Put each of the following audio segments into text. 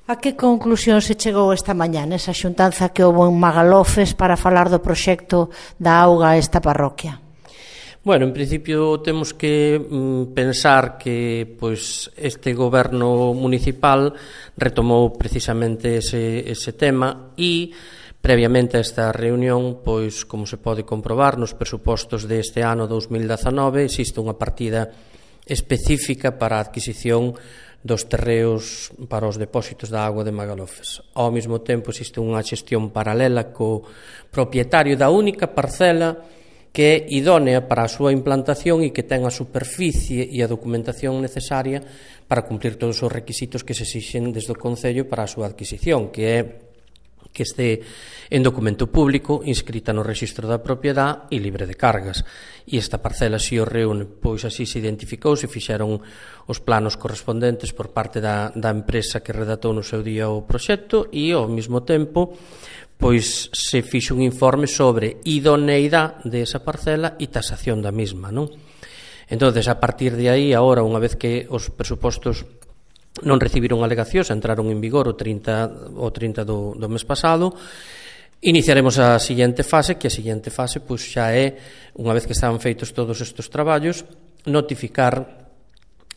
A que conclusión se chegou esta mañá nesa xuntanza que houve en Magalofes para falar do proxecto da auga a esta parroquia? Bueno, en principio temos que pensar que este goberno municipal retomou precisamente ese tema e previamente a esta reunión, como se pode comprobar nos presupostos deste ano 2019, existe unha partida específica para a adquisición dos terreos para os depósitos da auga de Magalofes. Ao mesmo tempo existe unha xestión paralela co propietario da única parcela que é idónea para a súa implantación e que ten a superficie e a documentación necesaria para cumplir todos os requisitos que se exixen desde o Concello para a súa adquisición, que é que este en documento público, inscrita no rexistro da propiedade e libre de cargas. E esta parcela si o reúne, así se identificou, se fixeron os planos correspondentes por parte da empresa que redactou no seu día o proxecto e, ao mesmo tempo, se fixo un informe sobre idoneidade desa parcela e tasación da mesma, non? Entón, a partir de aí, agora, unha vez que os presupostos non recibiron alegacións, entraron en vigor o 30 do mes pasado, iniciaremos a seguinte fase, que a seguinte fase xa é, unha vez que están feitos todos estes traballos, notificar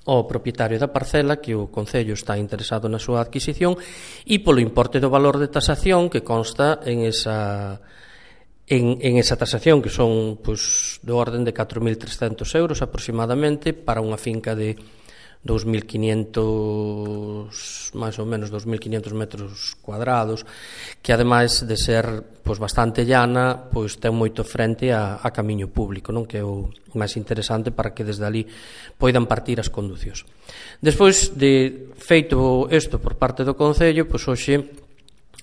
ao propietario da parcela que o Concello está interesado na súa adquisición e polo importe do valor de tasación que consta en esa tasación, que son do orden de 4.300 euros aproximadamente para unha finca de 2.500, máis ou menos 2.500 metros cuadrados, que ademais de ser bastante llana, ten moito frente a camiño público, non? Que é o máis interesante para que desde ali poidan partir as conducións. Despois de feito isto por parte do Concello, hoxe,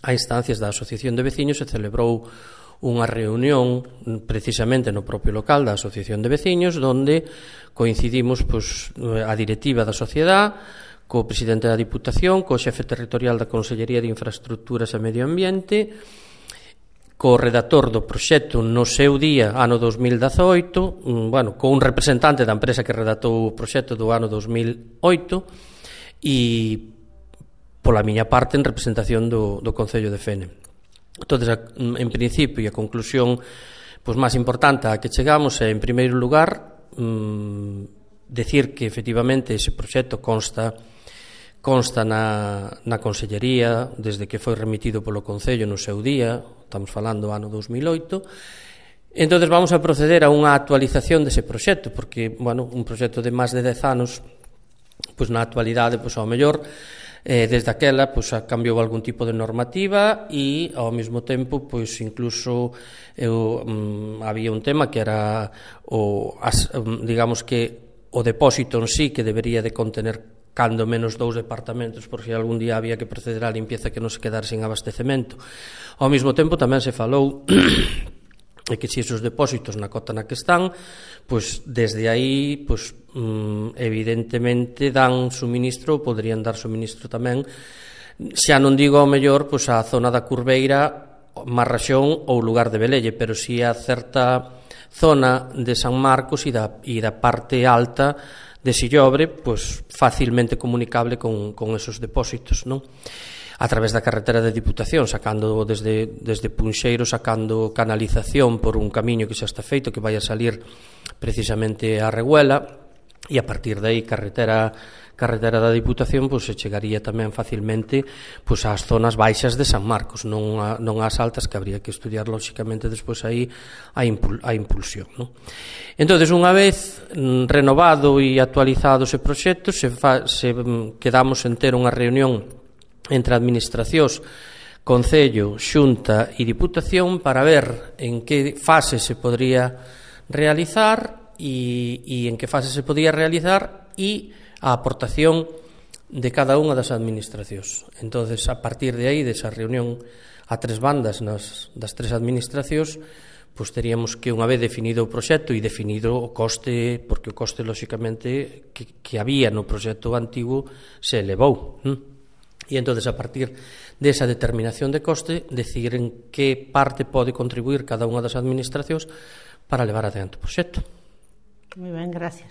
a instancias da Asociación de Veciños, se celebrou unha reunión precisamente no propio local da Asociación de Veciños, onde coincidimos a directiva da sociedade, co presidente da Diputación, co xefe territorial da Consellería de Infraestructuras e Medio Ambiente, co redactor do proxecto no seu día, ano 2018, co un representante da empresa que redactou o proxecto do ano 2008 e, pola miña parte, en representación do Concello de Fene. Entón, en principio, e a conclusión máis importante a que chegamos é, en primeiro lugar, decir que efectivamente ese proxecto consta na Consellería desde que foi remitido polo Concello no seu día, estamos falando do ano 2008. Entón, vamos a proceder a unha actualización dese proxecto, porque, un proxecto de máis de 10 anos, na actualidade, ao mellor, desde aquela cambiou algún tipo de normativa e ao mesmo tempo incluso había un tema que era digamos que o depósito en sí, que debería de contener cando menos 2 departamentos, por se algún día había que proceder á limpieza que non se quedara sin abastecemento. Ao mesmo tempo tamén se falou e que se esos depósitos na cota na que están, desde aí, evidentemente dan suministro, poderían dar suministro tamén, xa non digo ao mellor a zona da Curveira, Marraxón ou lugar de Velelle, pero si a certa zona de San Marcos e da parte alta de Sillobre, facilmente comunicable con esos depósitos, non? A través da carretera de Diputación, sacando desde Punxeiro, sacando canalización por un camiño que xa está feito, que vai a salir precisamente a Reguela, e a partir de aí carretera da Diputación se chegaría tamén facilmente ás zonas baixas de San Marcos, non ás altas, que habría que estudiar lóxicamente despois aí a impulsión, non? Entón, unha vez renovado e actualizado ese proxecto, quedamos en ter unha reunión entre administracións, Concello, Xunta e Diputación para ver en que fase se podría realizar e en que fase se podía realizar e a aportación de cada unha das administracións. Entón, a partir de aí, desa reunión a tres bandas das tres administracións, teríamos que, unha vez definido o proxecto e definido o coste, porque o coste, lóxicamente, que había no proxecto antigo se elevou, e entón, a partir desa determinación de coste, decidir en que parte pode contribuir cada unha das administracións para levar adiante o proxecto. Moi ben, gracias.